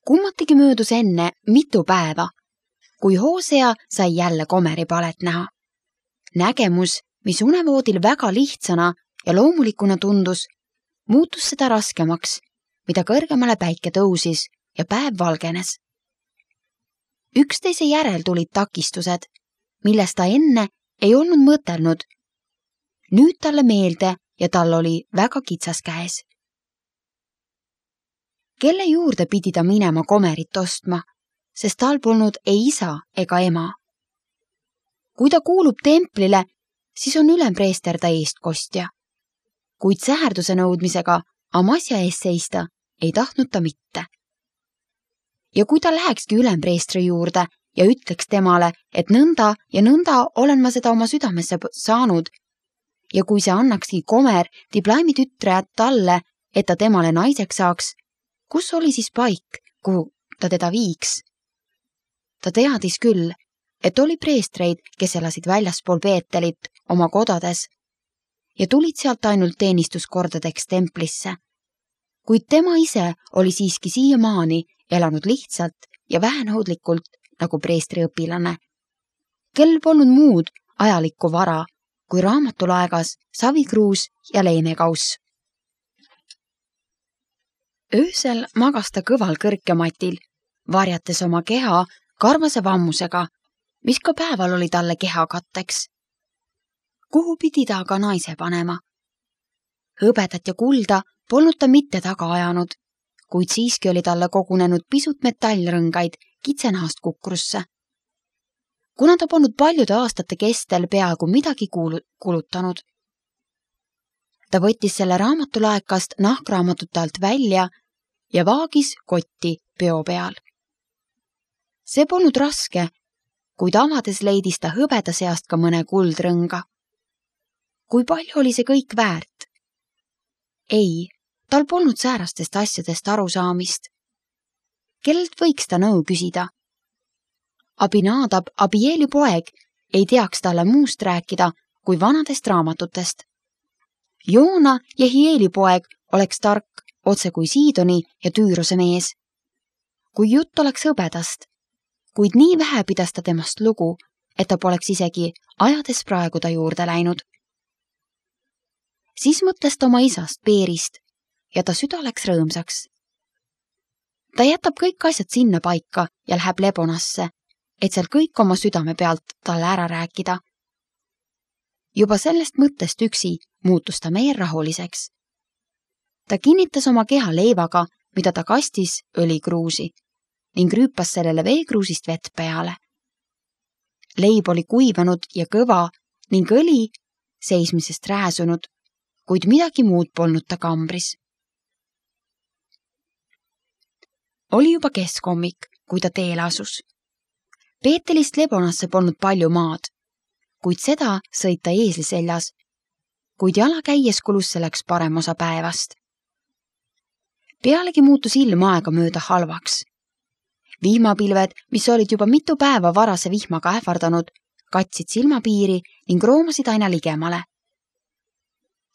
Kummatigi möödus enne mitu päeva, kui Hosea sai jälle komeripalet näha. Nägemus, mis unevoodil väga lihtsana ja loomulikuna tundus, muutus seda raskemaks, mida kõrgemale päike tõusis ja päev valgenes. Üksteise järel tulid takistused, millest ta enne ei olnud mõtelnud. Nüüd talle meelde ja tal oli väga kitsas käes. Kelle juurde pidi ta minema komerit ostma, sest tal polnud ei isa ega ema. Kui ta kuulub templile, siis on ülempreester ta eestkostja. Kuid säherduse nõudmisega Amasja ees seista ei tahtnud ta mitte. Ja kui ta lähekski ülempreestri juurde ja ütleks temale, et nõnda ja nõnda olen ma seda oma südamesse saanud, ja kui see annakski komer Diblaimi tütre talle, et ta temale naiseks saaks, kus oli siis paik, kuhu ta teda viiks? Ta teadis küll, et oli preestreid, kes elasid väljaspool Peetelit oma kodades ja tulid sealt ainult teenistuskordadeks templisse. Kuid tema ise oli siiski siiamaani elanud lihtsalt ja vähenõudlikult nagu preestriõpilane, kel polnud muud ajalikku vara kui raamatulaegas, savikruus ja leenekauss. Öösel magas ta kõval kõrkematil, varjates oma keha karvase vammusega, mis ka päeval oli talle keha katteks. Kuhu pidi ta aga naise panema? Hõbedat ja kulda polnud ta mitte taga ajanud, kuid siiski oli talle kogunenud pisut metallrõngaid kitsenahast kukrusse. Kuna ta polnud paljude aastate kestel peaaegu midagi kulutanud. Ta võttis selle raamatulaekast nahkraamatute alt välja ja vaagis kotti peo peal. See polnud raske, kuid avades leidis ta hõbeda seast ka mõne kuldrõnga. Kui palju oli see kõik väärt? Ei, tal polnud säärastest asjadest arusaamist. Kellelt võiks ta nõu küsida? Abinadab, Abieli poeg, ei teaks talle muust rääkida kui vanadest raamatutest. Joona ja Hieli poeg oleks tark, otse kui Siidoni ja Tüürose mees. Kui jutt oleks hõbedast, kuid nii vähe pidas ta temast lugu, et ta poleks isegi ajades praegu ta juurde läinud. Siis mõtles ta oma isast Peerist ja ta süda läks rõõmsaks. Ta jätab kõik asjad sinna paika ja läheb Lebonasse, et seal kõik oma südame pealt talle ära rääkida. Juba sellest mõttest üksi muutus ta meer rahuliseks. Ta kinnitas oma keha leivaga, mida ta kastis õlikruusi ning rüüpas sellele veekruusist vett peale. Leib oli kuivanud ja kõva ning õli seismisest rääsunud, kuid midagi muud polnud ta kambris. Oli juba keskhommik, kui ta teele asus. Peetelist Lebonasse polnud palju maad, kuid seda sõit ta eesli seljas, kuid jala käies kulus selleks parem osa päevast. Pealegi muutus ilm aega mööda halvaks. Vihmapilved, mis olid juba mitu päeva varase vihmaga ähvardanud, katsid silmapiiri ning roomasid aina ligemale.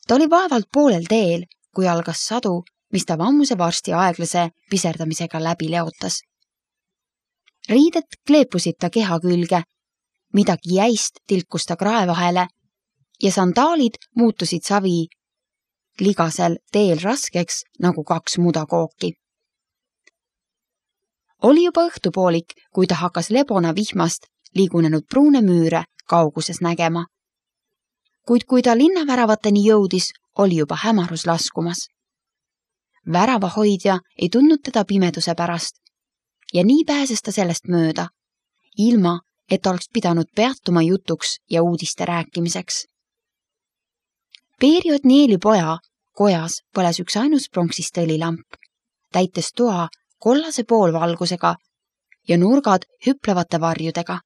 Ta oli vaevalt poolel teel, kui algas sadu, mis ta vammuse varsti aeglase piserdamisega läbi leotas. Riided kleepusid ta keha külge, midagi jäist tilkus ta krae vahele ja sandaalid muutusid savi ligasel teel raskeks nagu 2 mudakooki. Oli juba õhtupoolik, kui ta hakkas Lebona vihmast liigunenud pruune müüre kauguses nägema. Kuid kui ta linnaväravateni jõudis, oli juba hämarus laskumas. Väravahoidja ei tundnud teda pimeduse pärast ja nii pääses ta sellest mööda, ilma et oleks pidanud peatuma jutuks ja uudiste rääkimiseks. Peeri Otnieli poja kojas põles üks ainus pronksist õlilamp, täites toa kollase poolvalgusega ja nurgad hüplevate varjudega.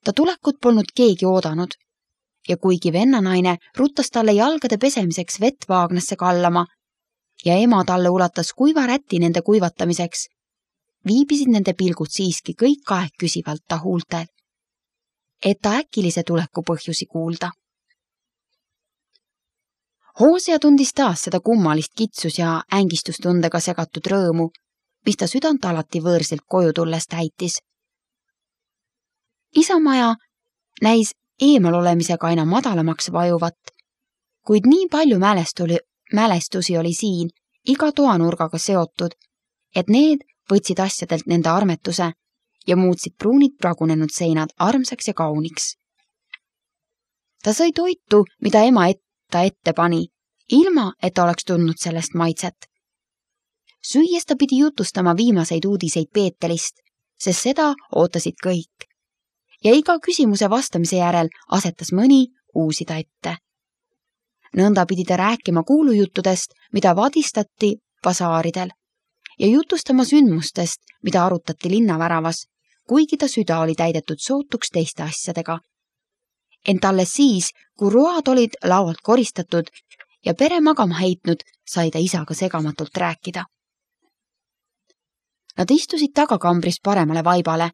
Ta tulekut polnud keegi oodanud ja kuigi vennanaine ruttas talle jalgade pesemiseks vett vaagnasse kallama ja ema talle ulatas kuiva räti nende kuivatamiseks, viibisid nende pilgud siiski kõik aeg küsivalt ta huultel, et ta äkilise tuleku põhjusi kuulda. Hosea tundis taas seda kummalist kitsus ja ängistustundega segatud rõõmu, mis ta südant alati võõrsilt koju tulles täitis. Isamaja näis eemal olemisega aina madalamaks vajuvat, kuid nii palju mälestusi oli siin iga toanurgaga seotud, et need võtsid asjadelt nende armetuse ja muutsid pruunid pragunenud seinad armsaks ja kauniks. Ta sõi toitu, mida ema ta ette pani, ilma et ta oleks tundnud sellest maitset. Süües ta pidi jutustama viimaseid uudiseid Peetelist, sest seda ootasid kõik. Ja iga küsimuse vastamise järel asetas mõni uusi ta ette. Nõnda pidi ta rääkima kuulujuttudest, mida vadistati basaaridel ja jutustama sündmustest, mida arutati linnaväravas, kuigi ta süda oli täidetud sootuks teiste asjadega. Ent alles siis, kui road olid laualt koristatud ja pere magama heitnud, sai ta isaga segamatult rääkida. Nad istusid tagakambris paremale vaibale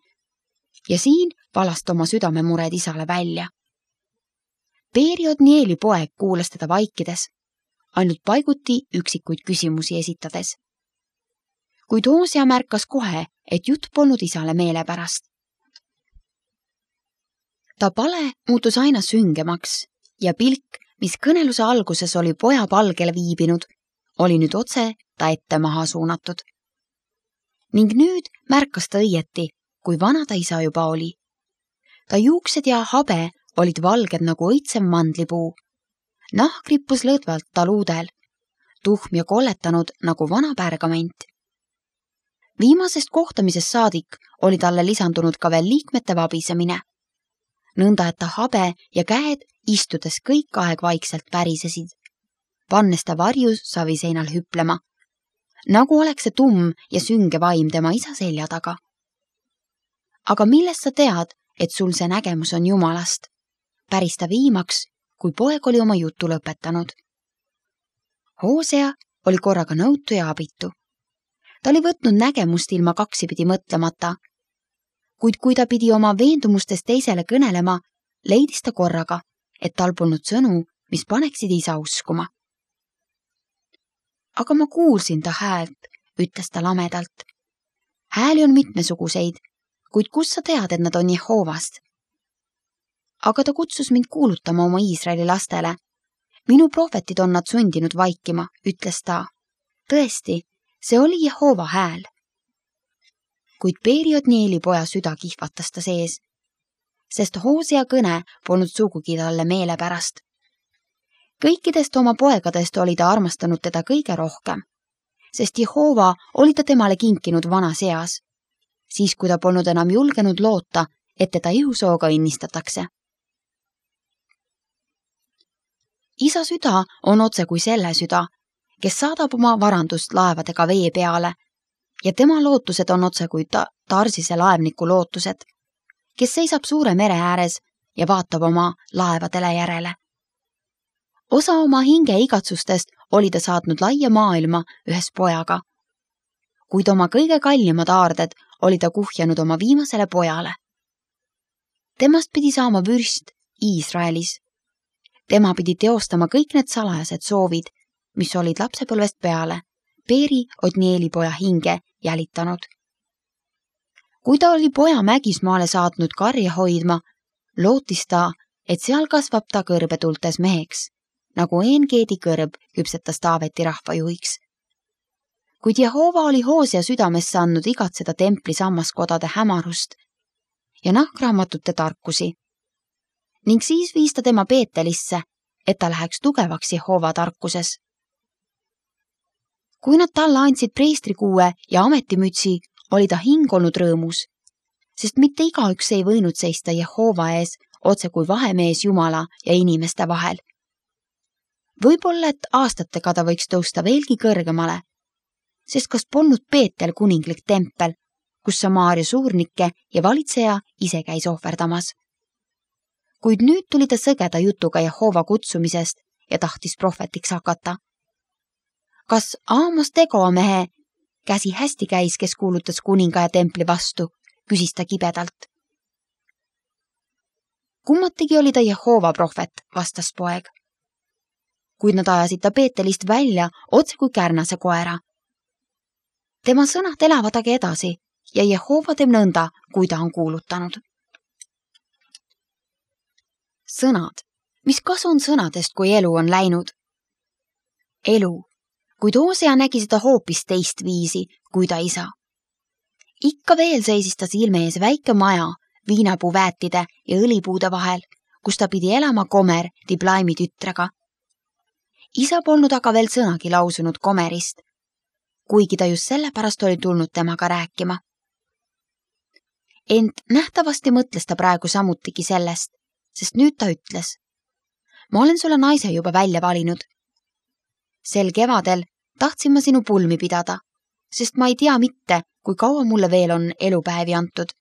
ja siin valast oma südamemured isale välja. Peeri Odnieli poeg kuulas teda vaikides, ainult paiguti üksikuid küsimusi esitades. Kuid Hosea märkas kohe, et jutt polnud isale meelepärast. Ta pale muutus aina süngemaks ja pilk, mis kõneluse alguses oli poja palgele viibinud, oli nüüd otse ta ette maha suunatud. Ning nüüd märkas ta õieti, kui vana ta isa juba oli. Ta juuksed ja habe olid valged nagu õitsem mandlipuu. Nahk rippus lõdvalt taluudel, tuhm ja kolletanud nagu vana pärgament. Viimasest kohtamisest saadik oli talle lisandunud ka veel liikmete vabisemine. Nõnda, et ta habe ja käed istudes kõik aeg vaikselt värisesid, pannes ta varjus saviseinal hüplema, nagu oleks see tumm ja sünge vaim tema isa selja taga. Aga millest sa tead, et sul see nägemus on Jumalast? Päris ta viimaks, kui poeg oli oma jutu lõpetanud. Hosea oli korraga nõutu ja abitu. Ta oli võtnud nägemust ilma kaksipidi mõtlemata, kuid kui ta pidi oma veendumustest teisele kõnelema, leidis ta korraga, et tal polnud sõnu, mis paneksid isa uskuma. Aga ma kuulsin ta häält, ütles ta lamedalt. Hääli on mitmesuguseid, kuid kus sa tead, et nad on Jehovast? Aga ta kutsus mind kuulutama oma Iisraeli lastele. Minu prohvetid on nad sundinud vaikima, ütles ta. Tõesti, see oli Jehova hääl. Kuid Peeri Odnieli poja süda kihvatas ta sees, sest Hosea kõne polnud sugugi talle meelepärast. Kõikidest oma poegadest oli ta armastanud teda kõige rohkem, sest Jehova oli ta temale kinkinud vanas eas, siis kui ta polnud enam julgenud loota, et teda ihusooga õnnistatakse. Isa süda on otse kui selle süda, kes saadab oma varandust laevadega vee peale, ja tema lootused on otse kui Tarsise laevniku lootused, kes seisab suure mere ääres ja vaatab oma laevadele järele. Osa oma hinge igatsustest oli ta saatnud laia maailma ühes pojaga, kuid oma kõige kallimad aarded oli ta kuhjanud oma viimasele pojale. Temast pidi saama vürst Iisraelis. Tema pidi teostama kõik need salajased soovid, mis olid lapsepõlvest peale Peeri Odnieli poja hinge jälitanud. Kui ta oli poja Mägismaale saatnud karja hoidma, lootis ta, et seal kasvab ta kõrbetultes meheks, nagu Engeedi kõrb küpsetas Taaveti rahvajuhiks. Kuid Jehova oli Hosea südamesse andnud igatseda templi sammaskodade hämarust ja nahkraamatute tarkusi. Ning siis viis ta tema Peetelisse, et ta läheks tugevaks Jehova tarkuses. Kui nad talle andsid preestrikuue ja ametimütsi, oli ta hing olnud rõõmus, sest mitte igaüks ei võinud seista Jehova ees otse kui vahemees Jumala ja inimeste vahel. Võib-olla, et aastatega ta võiks tõusta veelgi kõrgemale, sest kas polnud Peetel kuninglik tempel, kus Samaaria suurnikke ja valitseja ise käis ohverdamas. Kuid nüüd tuli ta sõgeda jutuga Jehova kutsumisest ja tahtis prohvetiks hakata. Kas Aamos Tegoa mehe käsi hästi käis, kes kuulutas kuninga ja templi vastu, küsis ta kibedalt. Kummatigi oli ta Jehova prohvet, vastas poeg. Kuid nad ajasid ta Peetelist välja otse kui kärnase koera. Tema sõnad elavadagi edasi ja Jehova teeb nõnda, kui ta on kuulutanud. Sõnad. Mis kasu on sõnadest, kui elu on läinud? Elu. Kuid Hosea nägi seda hoopis teist viisi, kui ta isa. Ikka veel seisis ta silme ees väike maja viinapuu väetide ja õlipuude vahel, kus ta pidi elama Gomer Diblaimi tütrega. Isa polnud aga veel sõnagi lausunud Gomerist, kuigi ta just sellepärast oli tulnud temaga rääkima. Ent nähtavasti mõtles ta praegu samutigi sellest, sest nüüd ta ütles: ma olen sulle naise juba välja valinud. Sel kevadel tahtsin ma sinu pulmi pidada, sest ma ei tea mitte, kui kaua mulle veel on elupäevi antud.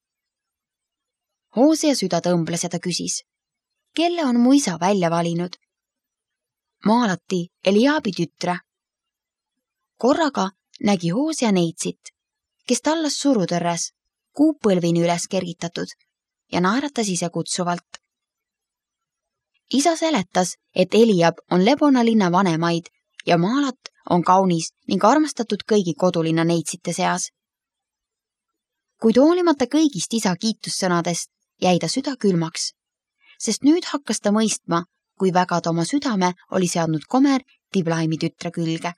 Hosea süda tõmbles ja ta küsis: kelle on mu isa välja valinud? Maalati Eliabi tütre. Korraga nägi Hosea neitsit, kes tallas surutõrres, kuupõlvini üles kergitatud ja naeratas ise kutsuvalt. Isa seletas, et Eliab on Lebona linna vanemaid ja Maalat on kaunis ning armastatud kõigi kodulinna neitsite seas. Kuid hoolimata kõigist isa kiitussõnadest jäi ta süda külmaks, sest nüüd hakkas ta mõistma, kui väga ta oma südame oli seadnud Gomer Diblaimi tütre külge.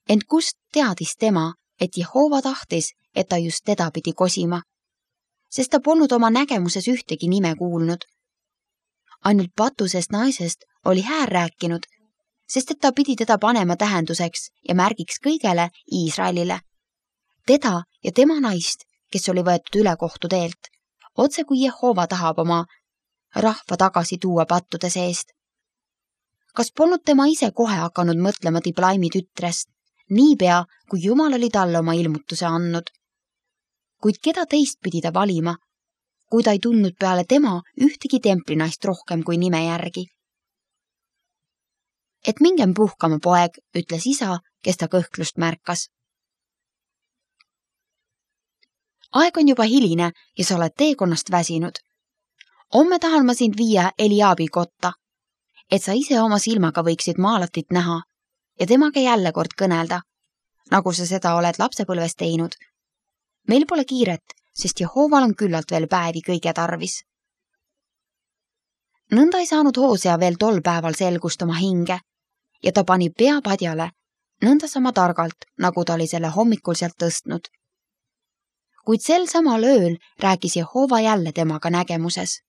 Ent kust teadis tema, et Jehova tahtis, et ta just teda pidi kosima, sest ta polnud oma nägemuses ühtegi nime kuulnud. Ainult patusest naisest oli häär rääkinud, sest et ta pidi teda panema tähenduseks ja märgiks kõigele Iisraelile. Teda ja tema naist, kes oli võetud üle kohtu teelt, otse kui Jehova tahab oma rahva tagasi tuua pattude seest. Kas polnud tema ise kohe hakanud mõtlema Diblaimi tütrest, niipea, kui Jumal oli talle oma ilmutuse andnud? Kuid keda teist pidi ta valima, kui ta ei tundnud peale tema ühtegi templinaist rohkem kui nime järgi? Et mingem puhkama, poeg, ütles isa, kes ta kõhklust märkas. Aeg on juba hiline ja sa oled teekonnast väsinud. Homme tahan ma sind viia Eliabi kotta, et sa ise oma silmaga võiksid Maalatit näha ja temaga jälle kord kõnelda, nagu sa seda oled lapsepõlves teinud. Meil pole kiiret, sest Jehoval on küllalt veel päevi kõige tarvis. Nõnda ei saanud Hosea veel tol päeval selgust oma hinge ja ta pani pea padjale, nõnda sama targalt, nagu ta oli selle hommikul sealt tõstnud. Kuid sel samal ööl rääkis Jehova jälle temaga nägemuses.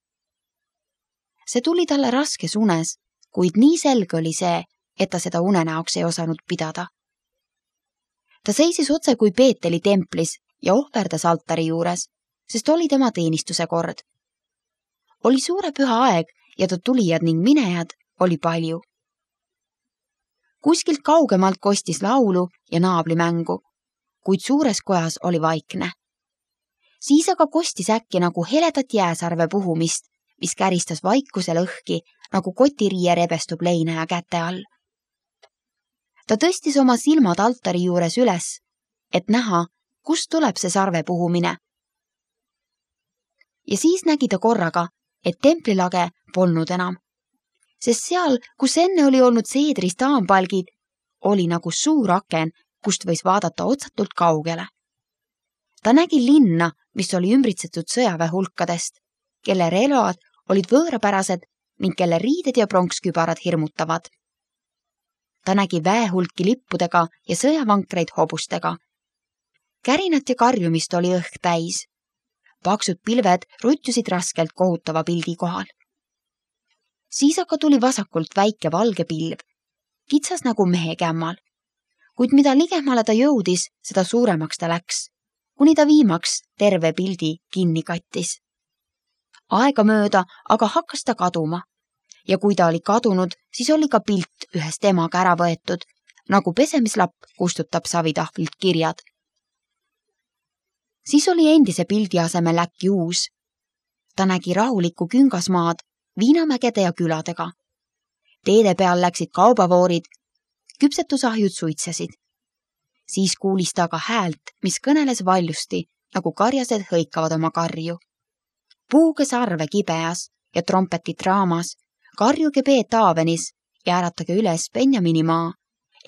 See tuli talle raskes unes, kuid nii selge oli see, et ta seda unenäoks ei osanud pidada. Ta seisis otse kui Peeteli templis ja ohverdas altari juures, sest oli tema teenistuse kord. Oli suure püha aeg ja ta tulijad ning minejad oli palju. Kuskilt kaugemalt kostis laulu ja naablimängu, kuid suures kojas oli vaikne. Siis aga kostis äkki nagu heledat jääsarve puhumist, mis käristas vaikuse lõhki, nagu kotiriie rebestub leinaja käte all. Ta tõstis oma silmad altari juures üles, et näha, kust tuleb see sarve puhumine. Ja siis nägi ta korraga, et templilage polnud enam, sest seal, kus enne oli olnud seedrist aampalgid, oli nagu suur aken, kust võis vaadata otsatult kaugele. Ta nägi linna, mis oli ümbritsetud sõjaväe hulkadest, kelle relvad olid võõrapärased ning kelle riided ja pronkskübarad hirmutavad. Ta nägi väehulki lippudega ja sõjavankreid hobustega. Kärinat ja karjumist oli õhk täis. Paksud pilved rutjusid raskelt kohutava pildi kohal. Siis aga tuli vasakult väike valge pilv, kitsas nagu mehe kämmal. Kuid mida ligemale ta jõudis, seda suuremaks ta läks, kuni ta viimaks terve pildi kinni kattis. Aega mööda aga hakkas ta kaduma ja kui ta oli kadunud, siis oli ka pilt ühest emaga ära võetud, nagu pesemislapp kustutab savitahvlilt kirjad. Siis oli endise pildi asemel äkki uus. Ta nägi rahulikku küngasmaad, viinamägede ja küladega. Teede peal läksid kaubavoorid, küpsetusahjud suitsesid. Siis kuulis ta aga häält, mis kõneles valjusti, nagu karjased hõikavad oma karju. Puuge sarve kibeas ja trompetit raamas, karjuge Peet Aavenis ja äratage üles Benjamini maa.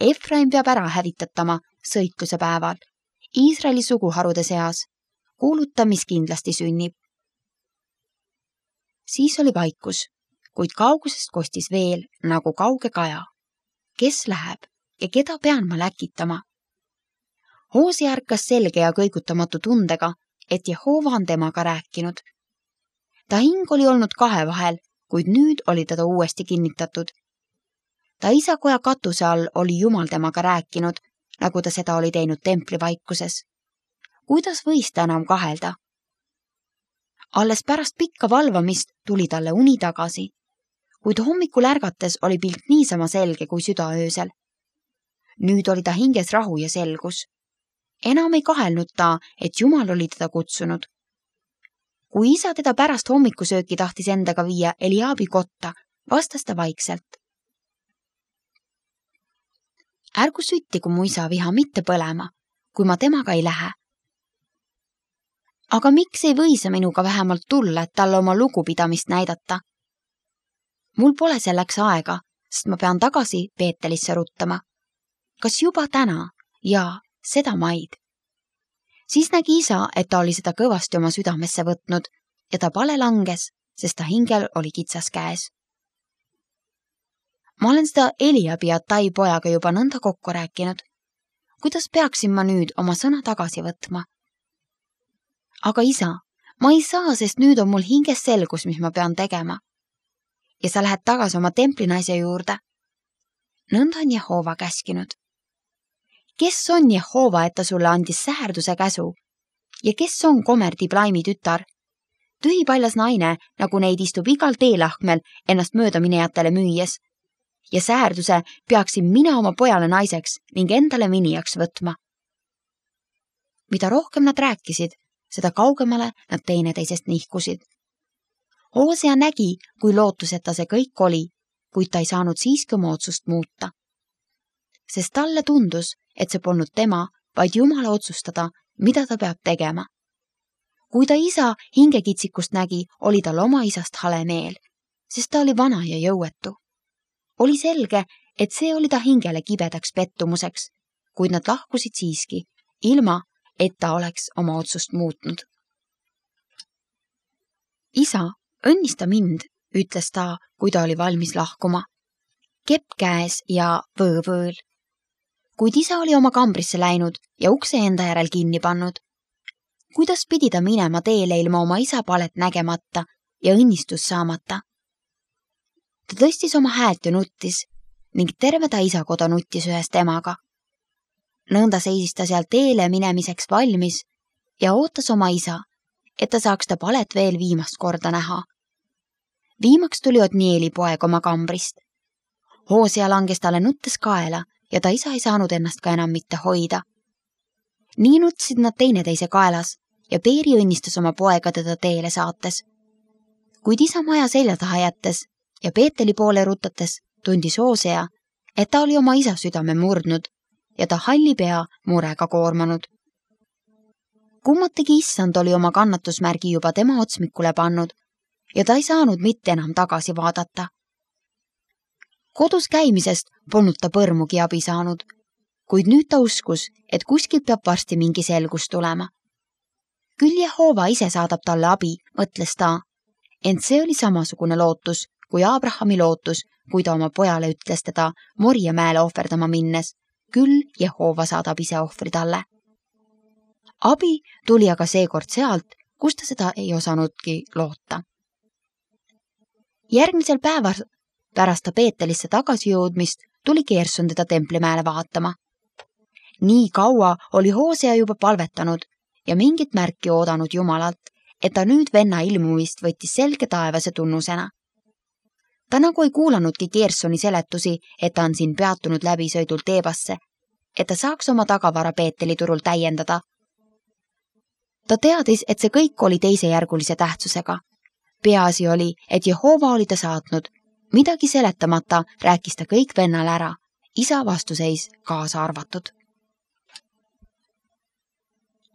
Efraim peab ära hävitatama sõitluse päeval Iisraeli suguharude seas, kuuluta, mis kindlasti sünnib. Siis oli vaikus, kuid kaugusest kostis veel nagu kauge kaja. Kes läheb ja keda pean ma läkitama? Hoosia ärkas selge ja kõigutamatu tundega, et Jehova on temaga rääkinud. Ta hing oli olnud kahe vahel, kuid nüüd oli teda uuesti kinnitatud. Ta isakoja katuse all oli Jumal temaga rääkinud, nagu ta seda oli teinud templi vaikuses. Kuidas võis ta enam kahelda? Alles pärast pikka valvamist tuli talle uni tagasi, kuid hommikul ärgates oli pilt niisama selge kui südaöösel. Nüüd oli ta hinges rahu ja selgus. Enam ei kahelnud ta, et Jumal oli teda kutsunud. Kui isa teda pärast hommikusööki tahtis endaga viia Eliabi kotta, vastas ta vaikselt. Ärgu süttigu mu isa viha mitte põlema, kui ma temaga ei lähe. Aga miks ei või sa minuga vähemalt tulla, et talle oma lugupidamist näidata? Mul pole selleks aega, sest ma pean tagasi Peetelisse ruttama. Kas juba täna? Jaa, seda maid. Siis nägi isa, et ta oli seda kõvasti oma südamesse võtnud ja ta pale langes, sest ta hingel oli kitsas käes. Ma olen seda Eliabi ja Tai pojaga juba nõnda kokku rääkinud. Kuidas peaksin ma nüüd oma sõna tagasi võtma? Aga isa, ma ei saa, sest nüüd on mul hinges selgus, mis ma pean tegema. Ja sa lähed tagasi oma templinaise juurde. Nõnda on Jehova käskinud. Kes on Jehova, et ta sulle andis säherduse käsu? Ja kes on Gomer Diblaimi tütar? Tühipaljas naine, nagu neid istub igal teelahkmel ennast möödaminejatele müües. Ja säherduse peaksin mina oma pojale naiseks ning endale minijaks võtma. Mida rohkem nad rääkisid, seda kaugemale nad teineteisest nihkusid. Hosea nägi, kui lootuseta see kõik oli, kuid ta ei saanud siiski oma otsust muuta. Sest talle tundus, et see polnud tema, vaid Jumala otsustada, mida ta peab tegema. Kui ta isa hingekitsikust nägi, oli tal oma isast hale meel, sest ta oli vana ja jõuetu. Oli selge, et see oli ta hingele kibedaks pettumuseks, kuid nad lahkusid siiski, ilma et ta oleks oma otsust muutnud. Isa, õnnista mind, ütles ta, kui ta oli valmis lahkuma. Kepp käes ja võõvõõl. Kuid isa oli oma kambrisse läinud ja ukse enda järel kinni pannud. Kuidas pidi ta minema teele ilma oma isa palet nägemata ja õnnistus saamata? Ta tõstis oma häält ja nuttis ning terve ta isakoda nuttis ühes temaga. Nõnda seisis ta seal teele minemiseks valmis ja ootas oma isa, et ta saaks ta palet veel viimast korda näha. Viimaks tuli Otnieli poeg oma kambrist. Hosea langes talle nuttes kaela ja ta isa ei saanud ennast ka enam mitte hoida. Nii nutsid nad teineteise kaelas ja Peeri õnnistas oma poega teda teele saates. Kuid isa maja selja taha jättes ja Peeteli poole rutates tundis Hosea, et ta oli oma isa südame murdnud ja ta halli pea murega koormanud. Kummategi issand oli oma kannatusmärgi juba tema otsmikule pannud ja ta ei saanud mitte enam tagasi vaadata. Kodus käimisest polnud ta põrmugi abi saanud, kuid nüüd ta uskus, et kuskilt peab varsti mingi selgus tulema. Küll Jehova ise saadab talle abi, mõtles ta, ent see oli samasugune lootus kui Abrahami lootus, kui ta oma pojale ütles teda Moria mäele ohverdama minnes. Küll Jehova saadab ise ohvri talle. Abi tuli aga seekord sealt, kus ta seda ei osanudki loota. Järgmisel päeval pärast ta Peetelisse tagasi jõudmist tuli Gerson teda templimäele vaatama. Nii kaua oli Hosea juba palvetanud ja mingit märki oodanud Jumalalt, et ta nüüd venna ilmumist võttis selge taevase tunnusena. Ta nagu ei kuulanudki Gersoni seletusi, et ta on siin peatunud läbisõidul Teebasse, et ta saaks oma tagavara Peeteli turul täiendada. Ta teadis, et see kõik oli teisejärgulise tähtsusega. Peaasi oli, et Jehova oli ta saatnud. Midagi seletamata rääkis ta kõik vennale ära, isa vastuseis kaasa arvatud.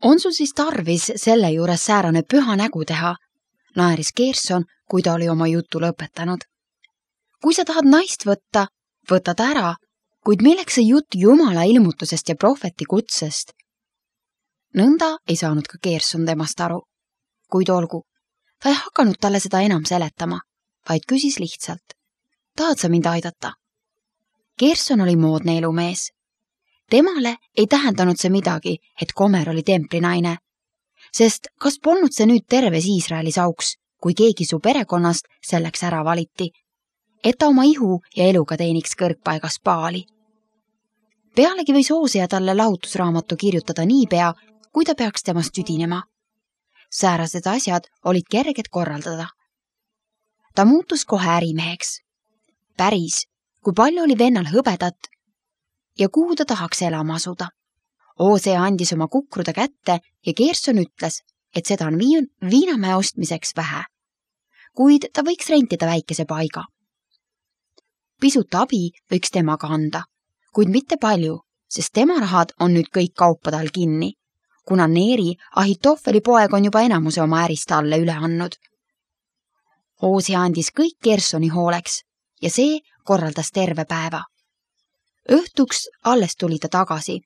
On sul siis tarvis selle juures säärane püha nägu teha, naeris Gerson, kui ta oli oma jutu lõpetanud. Kui sa tahad naist võtta, võta ta ära, kuid milleks see jutt Jumala ilmutusest ja prohveti kutsest? Nõnda ei saanud ka Gerson temast aru. Kuid olgu, ta ei hakanud talle seda enam seletama, vaid küsis lihtsalt. Tahad sa mind aidata? Gerson oli moodne elumees. Temale ei tähendanud see midagi, et Gomer oli templinaine, sest kas polnud see nüüd terves Iisraelis auks, kui keegi su perekonnast selleks ära valiti, et ta oma ihu ja eluga teeniks kõrgpaigas Baali. Pealegi võis Hosea talle lahutusraamatu kirjutada niipea, kui ta peaks temast tüdinema. Säärased asjad olid kerged korraldada. Ta muutus kohe ärimeheks. Päris, kui palju oli vennal hõbedat ja kuhu ta tahaks elama asuda. Hosea andis oma kukruda kätte ja Gerson ütles, et seda on viinamäe ostmiseks vähe, kuid ta võiks rentida väikese paiga. Pisut abi võiks temaga anda, kuid mitte palju, sest tema rahad on nüüd kõik kaupade all kinni, kuna Neeri Ahitofeli poeg on juba enamuse oma ärist talle üle andnud. Hosea andis kõik Gersoni hooleks ja see korraldas terve päeva. Õhtuks alles tuli ta tagasi,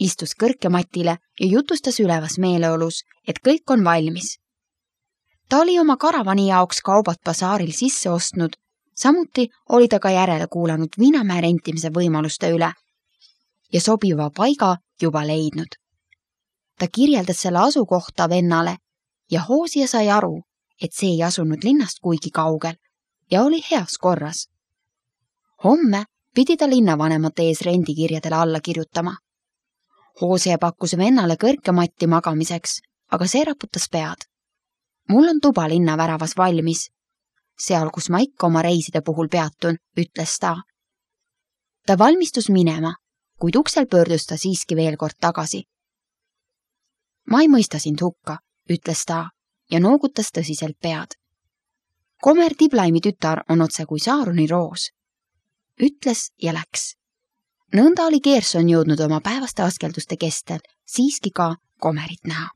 istus kõrkematile ja jutustas ülevas meeleolus, et kõik on valmis. Ta oli oma karavani jaoks kaubad basaaril sisse ostnud, samuti oli ta ka järele kuulanud viinamäe rentimise võimaluste üle ja sobiva paiga juba leidnud. Ta kirjeldas selle asukohta vennale ja Hosea sai aru, et see ei asunud linnast kuigi kaugel ja oli heas korras. Homme pidi ta linnavanemate ees rendikirjadele alla kirjutama. Hosea pakkus vennale kõrkematti magamiseks, aga see raputas pead. Mul on tuba linnaväravas valmis. Seal, kus ma ikka oma reiside puhul peatun, ütles ta. Ta valmistus minema, kuid uksel pöördus ta siiski veel kord tagasi. Ma ei mõista sind hukka, ütles ta ja noogutas tõsiselt pead. Gomer Diblaimi tütar on otse kui Saaroni roos. Ütles ja läks. Nõnda oli Gerson jõudnud oma päevaste askelduste kestel siiski ka Gomerit näha.